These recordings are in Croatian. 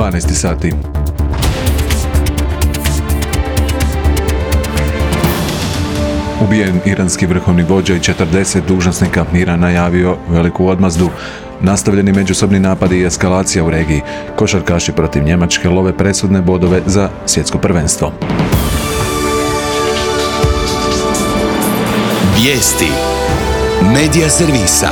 12 sati. Ubijen iranski vrhovni vođa i 40 dužnosnika. Iran najavio veliku odmazdu. Nastavljeni međusobni napadi i eskalacija u regiji. Košarkaši protiv Njemačke love presudne bodove za svjetsko prvenstvo. Vijesti Medija servisa.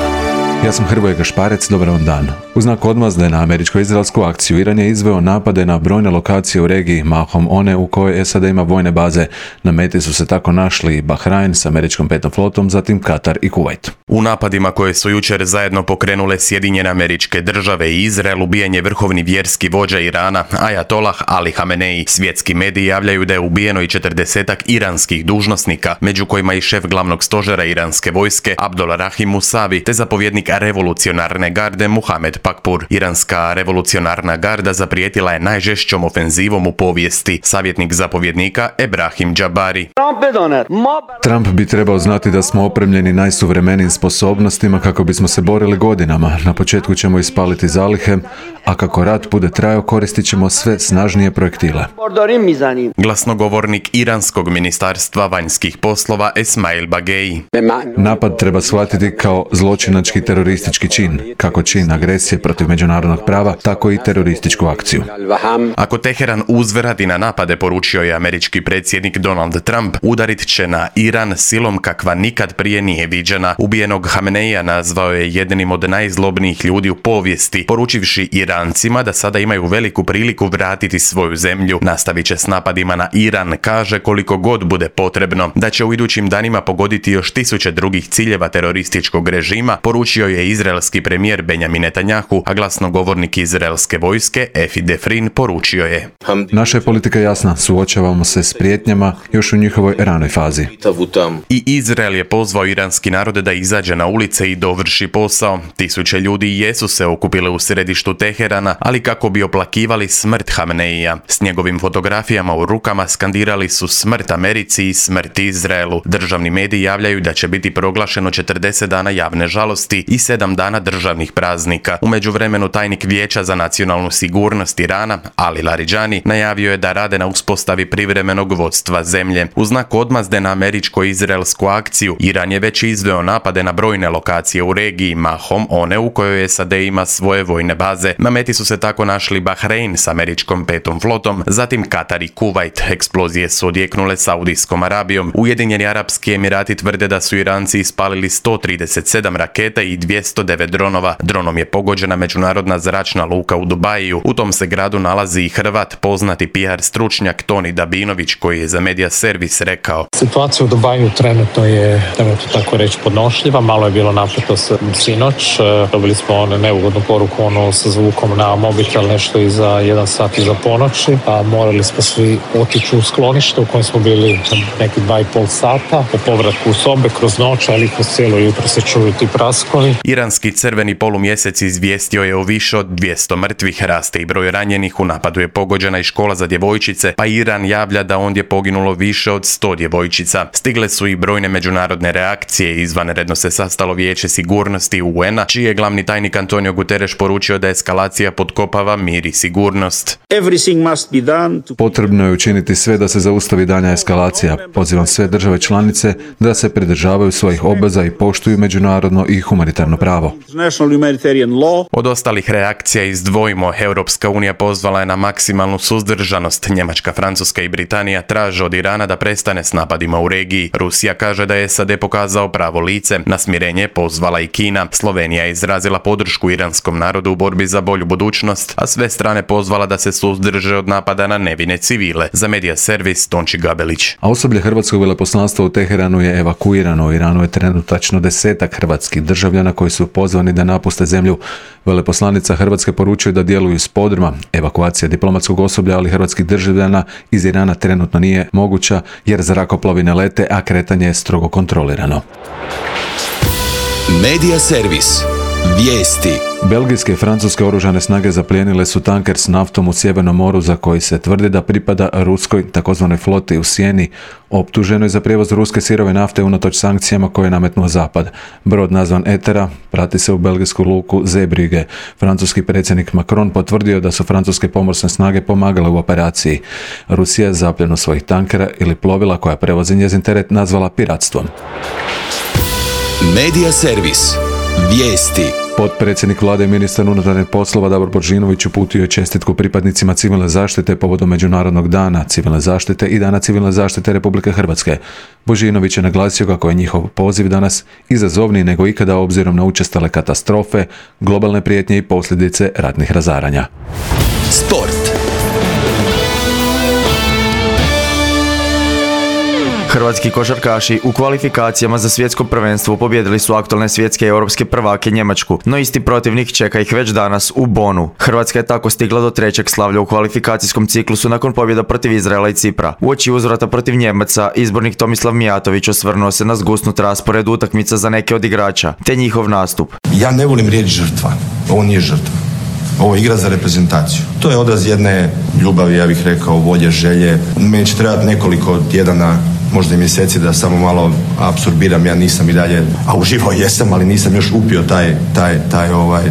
Ja sam Hrvoje Gašparec, dobar vam dan. U znak odmazde na američko-izraelsku akciju, Iran je izveo napade na brojne lokacije u regiji, mahom one u kojoj SAD ima vojne baze. Na meti su se tako našli Bahrain s američkom petom flotom, zatim Katar i Kuvajt. U napadima koje su jučer zajedno pokrenule Sjedinjene Američke Države i Izrael, ubijen je vrhovni vjerski vođa Irana, Ajatolah Ali Hamenei. Svjetski mediji javljaju da je ubijeno i 40-ak iranskih dužnosnika, među kojima i šef glavnog stožera iranske vojske Abdul Rahim Musavi, te zapovjednik revolucionarne garde Muhamed Pakpur. Iranska revolucionarna garda zaprijetila je najžešćom ofenzivom u povijesti. Savjetnik zapovjednika Ebrahim Džabari. Trump bi trebao znati da smo opremljeni najsuvremenijim sposobnostima kako bismo se borili godinama. Na početku ćemo ispaliti zalihe, a kako rat bude trajao koristit ćemo sve snažnije projektile. Glasnogovornik iranskog ministarstva vanjskih poslova Esmail Bagei. Napad treba shvatiti kao zločinački teroristički čin, kako čin agresije protiv međunarodnog prava, tako i terorističku akciju. Ako Teheran uzvrati na napade, poručio je američki predsjednik Donald Trump, udarit će na Iran silom kakva nikad prije nije viđena. Ubijenog Hameneija nazvao je jednim od najzlobnijih ljudi u povijesti, poručivši Irancima da sada imaju veliku priliku vratiti svoju zemlju. Nastavit će s napadima na Iran, kaže, koliko god bude potrebno, da će u idućim danima pogoditi još 1000 drugih ciljeva terorističkog režima, poručio je izraelski premijer Benjamin Netanjahu, a glasnogovornik izraelske vojske Efi Defrin poručio je: Naša je politika jasna, suočavamo se s prijetnjama još u njihovoj ranoj fazi. I Izrael je pozvao iranski narod da izađe na ulice i dovrši posao. 1000 ljudi jesu se okupile u središtu Teherana, ali kako bi oplakivali smrt Hameneija. S njegovim fotografijama u rukama skandirali su smrt Americi i smrt Izraelu. Državni mediji javljaju da će biti proglašeno 40 dana javne žalosti i 7 dana državnih praznika. U međuvremenu tajnik Vijeća za nacionalnu sigurnost Irana, Ali Laridžani, najavio je da rade na uspostavi privremenog vodstva zemlje. U znak odmazde na američko-izraelsku akciju, Iran je već izveo napade na brojne lokacije u regiji, mahom one u kojoj SAD ima svoje vojne baze. Na meti su se tako našli Bahrein s američkom petom flotom, zatim Katar i Kuvajt. Eksplozije su odjeknule Saudijskom Arabijom. Ujedinjeni Arapski Emirati tvrde da su Iranci ispalili 137 raketa i 209 dronova. Dronom je pogođena međunarodna zračna luka u Dubaju. U tom se gradu nalazi i Hrvat, poznati PR stručnjak Toni Dabinović, koji je za Medija servis rekao: Situacija u Dubaju trenutno je, tako reći, podnošljiva. Malo je bilo napeto sinoć. Dobili smo neugodnu poruku sa zvukom na mobitel nešto iza 1 sat iza ponoći. A morali smo svi otići u sklonište u kojem smo bili neki 2,5 sata. Po povratku u sobe kroz noć, ali kroz cijelo jutro se čuju ti praskovi. Iranski crveni polumjesec izvijestio je o više od 200 mrtvih, raste i broj ranjenih. U napadu je pogođena i škola za djevojčice, pa Iran javlja da ondje poginulo više od 100 djevojčica. Stigle su i brojne međunarodne reakcije. Izvanredno se sastalo Vijeće sigurnosti UN-a, čiji je glavni tajnik Antonio Guterres poručio da eskalacija potkopava mir i sigurnost. Potrebno je učiniti sve da se zaustavi daljnja eskalacija. Pozivam sve države članice da se pridržavaju svojih obveza i poštuju međunarodno i humanitarno pravo. Od ostalih reakcija izdvojimo: Europska unija pozvala je na maksimalnu suzdržanost. Njemačka, Francuska i Britanija traže od Irana da prestane s napadima u regiji. Rusija kaže da je SAD pokazao pravo lice. Na smirenje je pozvala i Kina. Slovenija je izrazila podršku iranskom narodu u borbi za bolju budućnost, a sve strane pozvala da se suzdrže od napada na nevine civile. Za Medija servis Tonči Gabelić. A osoblje hrvatskog veleposlanstva u Teheranu je evakuirano. U Iranu je trenutačno 10 hrvatskih državljana koji su pozvani da napuste zemlju. Veleposlanica Hrvatske poručuje da djeluju s podruma. Evakuacija diplomatskog osoblja, ali hrvatskih državljana iz Irana trenutno nije moguća jer zrakoplovi ne lete, a kretanje je strogo kontrolirano. Medija servis. Vijesti. Belgijske i francuske oružane snage zaplijenile su tanker s naftom u Sjevernom moru za koji se tvrdi da pripada ruskoj takozvanoj floti u sjeni, optuženoj za prijevoz ruske sirove nafte unatoč sankcijama koje je nametnuo Zapad. Brod nazvan Etera prati se u belgijsku luku Zeebrugge. Francuski predsjednik Macron potvrdio da su francuske pomorsne snage pomagale u operaciji. Rusija je zapljenu svojih tankera ili plovila koja prevozi njezin teret nazvala piratstvom. Medija servis. Vijesti. Potpredsjednik vlade i ministar unutarnjih poslova Davor Božinović uputio je čestitku pripadnicima civilne zaštite povodom Međunarodnog dana civilne zaštite i Dana civilne zaštite Republike Hrvatske. Božinović je naglasio kako je njihov poziv danas izazovniji nego ikada obzirom na učestale katastrofe, globalne prijetnje i posljedice ratnih razaranja. Sport. Hrvatski košarkaši u kvalifikacijama za svjetsko prvenstvo pobijedili su aktualne svjetske i europske prvake Njemačku, no isti protivnik čeka ih već danas u Bonu. Hrvatska je tako stigla do trećeg slavlja u kvalifikacijskom ciklusu nakon pobjeda protiv Izraela i Cipra. Uoči uzvrata protiv Njemaca, izbornik Tomislav Mijatović osvrnuo se na zgusnut raspored utakmica za neke od igrača, te njihov nastup. Ja ne volim riječ žrtva, ovo nije žrtva. Ovo je igra za reprezentaciju. To je odraz jedne ljubavi, ja bih rekao, volje, želje. Meni će trebati nekoliko tjedana, možda i mjeseci da samo malo apsorbiram. Ja nisam i dalje, a uživo jesam, ali nisam još upio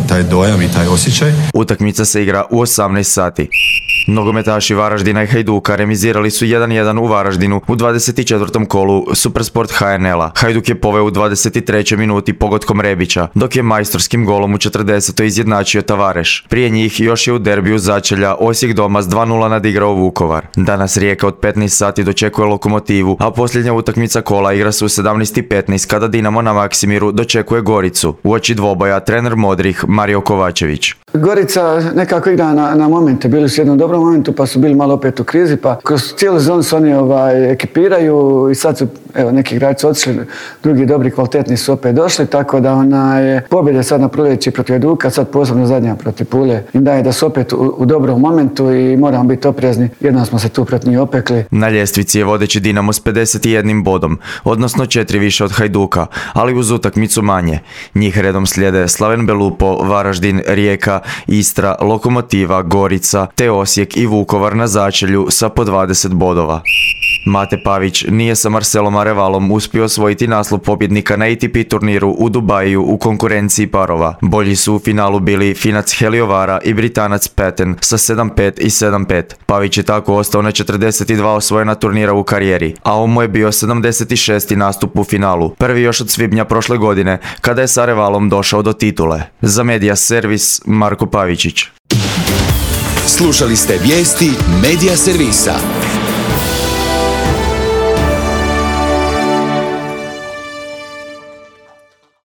taj dojam i taj osjećaj. Utakmica se igra u 18 sati. Nogometaši Varaždina i Hajduka remizirali su 1-1 u Varaždinu u 24. kolu Supersport HNL-a. Hajduk je poveo u 23. minuti pogodkom Rebića, dok je majstorskim golom u 40. izjednačio Tavareš. Prije njih još je u derbiju začelja Osijek doma s 2-0 nadigrao Vukovar. Danas Rijeka od 15 sati dočekuje Lokomotivu, a posljednja utakmica kola igra se u 17:15 kada Dinamo na Maksimiru dočekuje Goricu. Uoči dvoboja trener Modrih Mario Kovačević. Gorica nekako igra na momente, bili su u jednom dobrom momentu pa su bili malo opet u krizi, pa kroz cijelu sezonu se oni ekipiraju i sad su neki igrači otišli, drugi dobri kvalitetni su opet došli, tako da je pobjede sad na proljeći protiv Hajduka, sad posebno zadnja protiv Pule im daje da su opet u dobrom momentu i moramo biti oprezni, jednom smo se tu protiv njih opekli. Na ljestvici je vodeći Dinamo s 51 bodom, odnosno 4 više od Hajduka, ali uz utakmicu manje. Njih redom slijede Slaven Belupo, Varaždin, Rijeka, Istra, Lokomotiva, Gorica, te Osijek i Vukovar na začelju sa po 20 bodova. Mate Pavić nije sa Marcelom Arevalom uspio osvojiti naslov pobjednika na ATP turniru u Dubaju u konkurenciji parova. Bolji su u finalu bili Finac Heliovara i Britanac Patten sa 7-5 i 7-5. Pavić je tako ostao na 42 osvojena turnira u karijeri, a ovo mu je bio 76. nastup u finalu, prvi još od svibnja prošle godine kada je s Arevalom došao do titule. Za Medija servis Marko Pavičić. Slušali ste vijesti Medija servisa.